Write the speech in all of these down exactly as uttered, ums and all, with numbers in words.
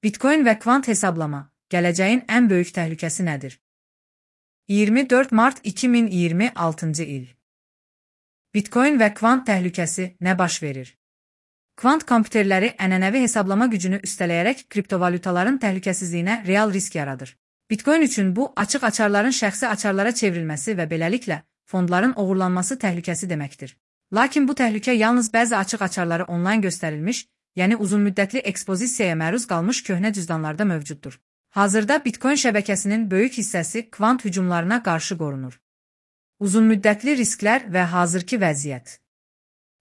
Bitcoin və kvant hesablama, gələcəyin ən böyük təhlükəsi nədir? iyirmi dörd mart iki min iyirmi altıncı il. Bitcoin və kvant təhlükəsi nə baş verir? Kvant kompüterləri ənənəvi hesablama gücünü üstələyərək kriptovalyutaların təhlükəsizliyinə real risk yaradır. Bitcoin üçün bu, açıq açarların şəxsi açarlara çevrilməsi və beləliklə fondların oğurlanması təhlükəsi deməkdir. Lakin bu təhlükə yalnız bəzi açıq açarları onlayn göstərilmiş, yəni uzunmüddətli ekspozisiyaya məruz qalmış köhnə cüzdanlarda mövcuddur. Hazırda Bitcoin şəbəkəsinin böyük hissəsi kvant hücumlarına qarşı qorunur. Uzunmüddətli risklər və hazırki vəziyyət.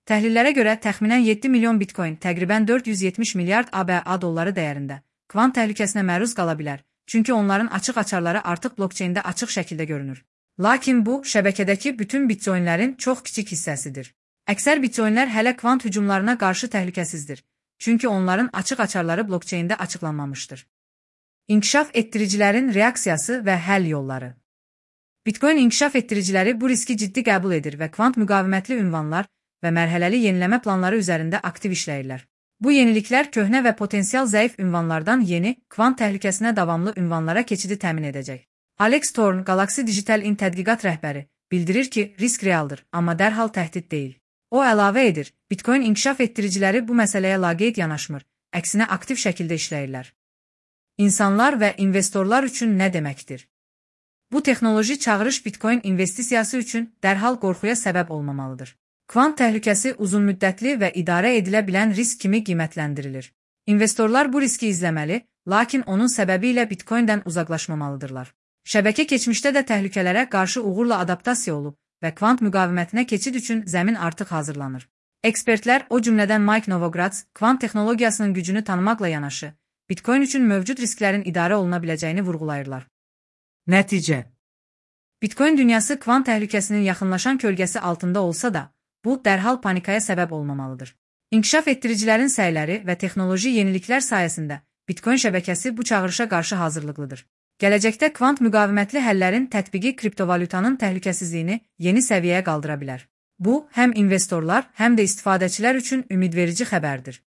Təhlillərə görə təxminən yeddi milyon Bitcoin, təqribən dörd yüz yetmiş milyard ABŞ dolları dəyərində, kvant təhlükəsinə məruz qala bilər, çünki onların açıq açarları artıq blokçeyndə açıq şəkildə görünür. Lakin bu, şəbəkədəki bütün bitcoinlərin çox kiçik hissəsidir. Əksər bitcoinlər hələ kvant hücumlarına qarşı təhlükəsizdir, çünki onların açıq açarları blokçeyndə açıqlanmamışdır. İnkişaf etdiricilərin reaksiyası və həll yolları. Bitcoin inkişaf etdiriciləri bu riski ciddi qəbul edir və kvant müqavimətli ünvanlar və mərhələli yeniləmə planları üzərində aktiv işləyirlər. Bu yeniliklər köhnə və potensial zəif ünvanlardan yeni, kvant təhlükəsinə davamlı ünvanlara keçidi təmin edəcək. Alex Torn, Galaxy Digital In tədqiqat rəhbəri, bildirir ki, risk realdır, amma dərhal təhdid deyil. O əlavə edir, Bitcoin inkişaf etdiriciləri bu məsələyə laqeyd yanaşmır, əksinə aktiv şəkildə işləyirlər. İnsanlar və investorlar üçün nə deməkdir? Bu texnoloji çağırış Bitcoin investisiyası üçün dərhal qorxuya səbəb olmamalıdır. Kvant təhlükəsi uzunmüddətli və idarə edilə bilən risk kimi qiymətləndirilir. İnvestorlar bu riski izləməli, lakin onun səbəbi ilə Bitcoin'dən uzaqlaşmamalıdırlar. Şəbəkə keçmişdə də təhlükələrə qarşı uğurla adaptasiya olub və kvant müqavimətinə keçid üçün zəmin artıq hazırlanır. Ekspertlər, o cümlədən Mike Novogratz, kvant texnologiyasının gücünü tanımaqla yanaşı, Bitcoin üçün mövcud risklərin idarə oluna biləcəyini vurğulayırlar. Nəticə. Bitcoin dünyası kvant təhlükəsinin yaxınlaşan kölgəsi altında olsa da, bu, dərhal panikaya səbəb olmamalıdır. İnkişaf etdiricilərin səyləri və texnoloji yeniliklər sayəsində Bitcoin şəbəkəsi bu çağırışa qarşı hazırlıqlıdır. Gələcəkdə kvant müqavimətli həllərin tətbiqi kriptovalyutanın təhlükəsizliyini yeni səviyyəyə qaldıra bilər. Bu, həm investorlar, həm də istifadəçilər üçün ümidverici xəbərdir.